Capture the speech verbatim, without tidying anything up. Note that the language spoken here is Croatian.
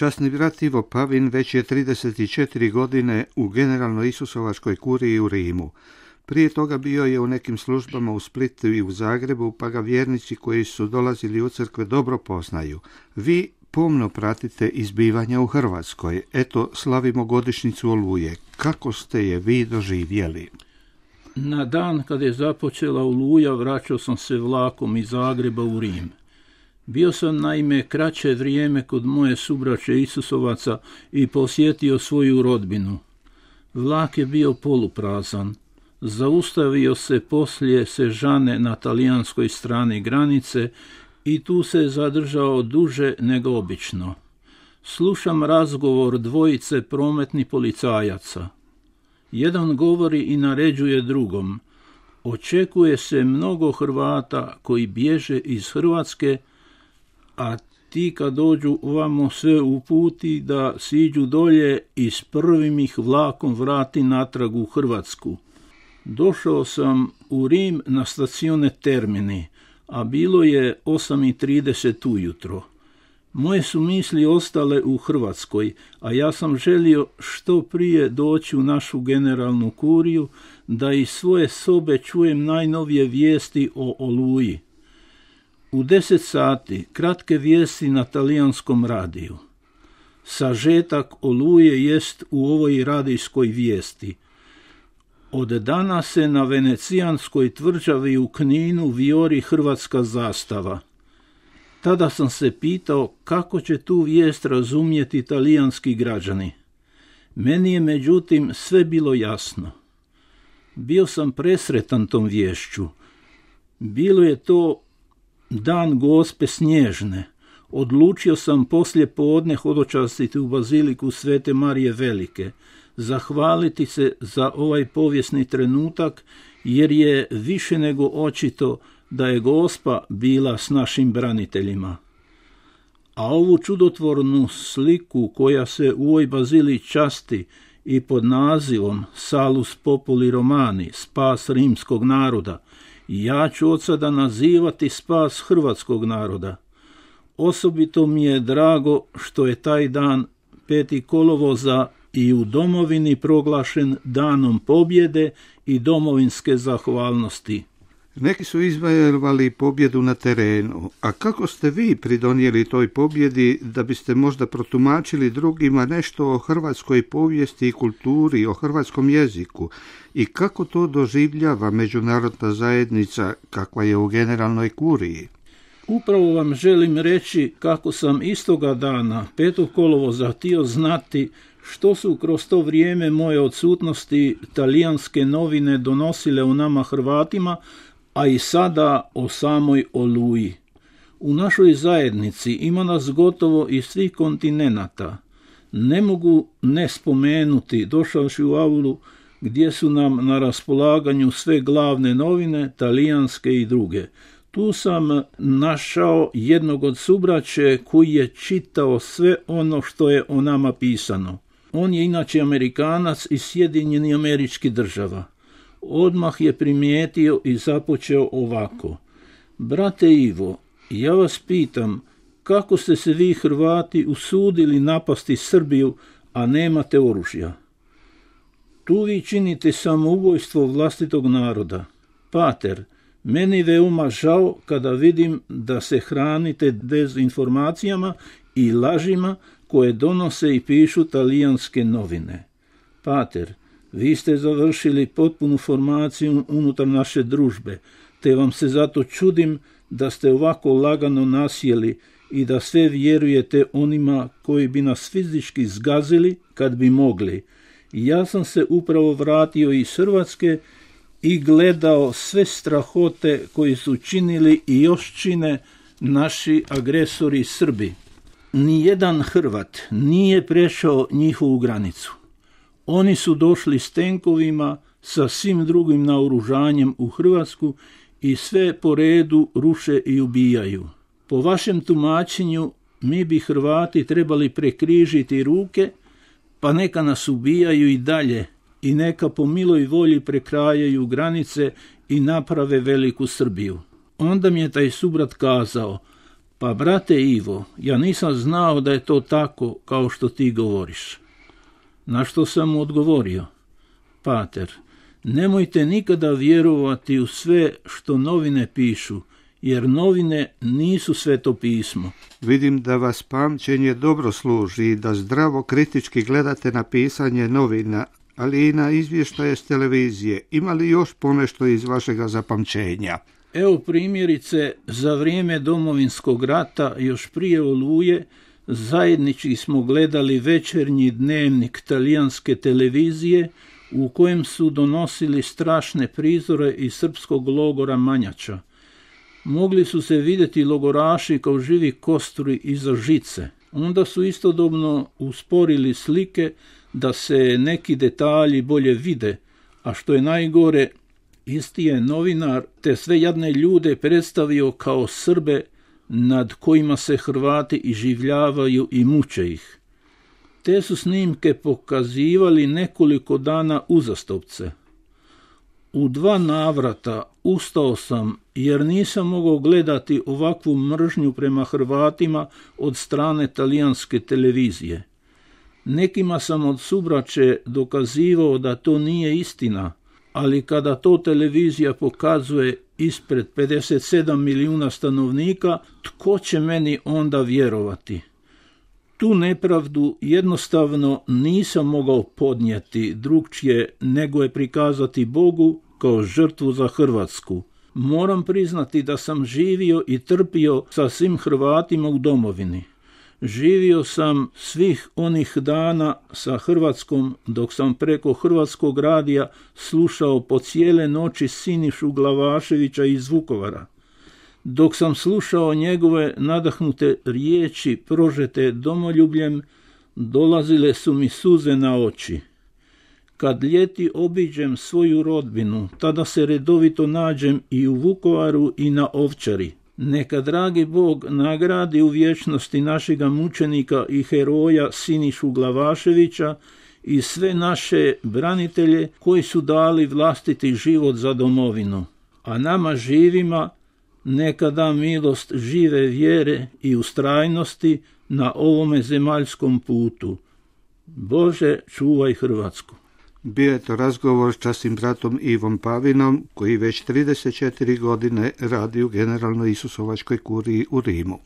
Časni brat Ivo Pavin već je trideset četiri godine u Generalnoj Isusovačkoj kuriji u Rimu. Prije toga bio je u nekim službama u Splitu i u Zagrebu, pa ga vjernici koji su dolazili u crkve dobro poznaju. Vi pomno pratite izbivanja u Hrvatskoj. Eto, slavimo godišnjicu Oluje. Kako ste je vi doživjeli? Na dan kad je započela Oluja, vraćao sam se vlakom iz Zagreba u Rim. Bio sam naime kraće vrijeme kod moje subraće Isusovaca i posjetio svoju rodbinu. Vlak je bio poluprazan. Zaustavio se poslije Sežane na talijanskoj strani granice i tu se zadržao duže nego obično. Slušam razgovor dvojice prometnih policajaca. Jedan govori i naređuje drugom. Očekuje se mnogo Hrvata koji bježe iz Hrvatske, a ti kad dođu ovamo sve uputi da siđu dolje i s prvim ih vlakom vrati natrag u Hrvatsku. Došao sam u Rim na stacione Termini, a bilo je osam i trideset ujutro. Moje su misli ostale u Hrvatskoj, a ja sam želio što prije doći u našu generalnu kuriju da iz svoje sobe čujem najnovije vijesti o Oluji. U deset sati kratke vijesti na talijanskom radiju. Sažetak Oluje jest u ovoj radijskoj vijesti. Od danas se na venecijanskoj tvrđavi u Kninu vijori hrvatska zastava. Tada sam se pitao kako će tu vijest razumjeti talijanski građani. Meni je međutim sve bilo jasno. Bio sam presretan tom viješću. Bilo je to dan Gospe Snježne. Odlučio sam poslije podne hodočastiti u baziliku Svete Marije Velike, zahvaliti se za ovaj povijesni trenutak, jer je više nego očito da je Gospa bila s našim braniteljima. A ovu čudotvornu sliku koja se u ovoj bazili časti i pod nazivom Salus Populi Romani, spas rimskog naroda, ja ću od sada nazivati spas hrvatskog naroda. Osobito mi je drago što je taj dan peti kolovoza i u domovini proglašen danom pobjede i domovinske zahvalnosti. Neki su izvojevali pobjedu na terenu, a kako ste vi pridonijeli toj pobjedi da biste možda protumačili drugima nešto o hrvatskoj povijesti i kulturi, o hrvatskom jeziku i kako to doživljava međunarodna zajednica kakva je u Generalnoj kuriji? Upravo vam želim reći kako sam istoga dana, petog kolovoza, htio znati što su kroz to vrijeme moje odsutnosti talijanske novine donosile o nama Hrvatima, a i sada o samoj Oluji. U našoj zajednici ima nas gotovo iz svih kontinenata. Ne mogu ne spomenuti, došavši u aulu gdje su nam na raspolaganju sve glavne novine, talijanske i druge. Tu sam našao jednog od subraće koji je čitao sve ono što je o nama pisano. On je inače Amerikanac iz Sjedinjenih Američkih Država. Odmah je primijetio i započeo ovako. Brate Ivo, ja vas pitam, kako ste se vi Hrvati usudili napasti Srbiju, a nemate oružja? Tu vi činite samoubojstvo vlastitog naroda. Pater, meni veoma žao kada vidim da se hranite dezinformacijama i lažima koje donose i pišu talijanske novine. Pater, vi ste završili potpunu formaciju unutar naše družbe, te vam se zato čudim da ste ovako lagano nasjeli i da sve vjerujete onima koji bi nas fizički zgazili kad bi mogli. Ja sam se upravo vratio iz Hrvatske i gledao sve strahote koji su činili i još čine naši agresori Srbi. Nijedan Hrvat nije prešao njihovu granicu. Oni su došli s tenkovima, sa svim drugim naoružanjem u Hrvatsku i sve po redu ruše i ubijaju. Po vašem tumačenju, mi bi Hrvati trebali prekrižiti ruke, pa neka nas ubijaju i dalje i neka po miloj volji prekrajaju granice i naprave veliku Srbiju. Onda mi je taj subrat kazao, Pa brate Ivo, ja nisam znao da je to tako kao što ti govoriš. Na što sam mu odgovorio: Pater, nemojte nikada vjerovati u sve što novine pišu, jer novine nisu sveto pismo. Vidim da vas pamćenje dobro služi i da zdravo kritički gledate na pisanje novina, ali i na izvještaje s televizije. Ima li još ponešto iz vašega zapamćenja? Evo primjerice, za vrijeme Domovinskog rata, još prije Oluje, zajednički smo gledali večernji dnevnik talijanske televizije u kojem su donosili strašne prizore iz srpskog logora Manjača. Mogli su se vidjeti logoraši kao živi kosturi iza žice. Onda su istodobno usporili slike da se neki detalji bolje vide, a što je najgore, isti je novinar te sve jadne ljude predstavio kao Srbe nad kojima se Hrvati iživljavaju i muče ih. Te su snimke pokazivali nekoliko dana uzastopce. U dva navrata ustao sam jer nisam mogao gledati ovakvu mržnju prema Hrvatima od strane talijanske televizije. Nekima sam od subraće dokazivao da to nije istina, ali kada to televizija pokazuje ispred pedeset sedam milijuna stanovnika, tko će meni onda vjerovati? Tu nepravdu jednostavno nisam mogao podnijeti drugčije nego je prikazati Bogu kao žrtvu za Hrvatsku. Moram priznati da sam živio i trpio sa svim Hrvatima u domovini. Živio sam svih onih dana sa Hrvatskom dok sam preko Hrvatskog radija slušao po cijele noći Sinišu Glavaševića iz Vukovara. Dok sam slušao njegove nadahnute riječi prožete domoljubljem, dolazile su mi suze na oči. Kad ljeti obiđem svoju rodbinu, tada se redovito nađem i u Vukovaru i na Ovčari. Neka dragi Bog nagradi u vječnosti našega mučenika i heroja Sinišu Glavaševića i sve naše branitelje koji su dali vlastiti život za domovinu. A nama živima neka da milost žive vjere i ustrajnosti na ovome zemaljskom putu. Bože, čuvaj Hrvatsku. Bio je to razgovor s časnim bratom Ivom Pavinom, koji već trideset četiri godine radi u Generalnoj Isusovačkoj kuriji u Rimu.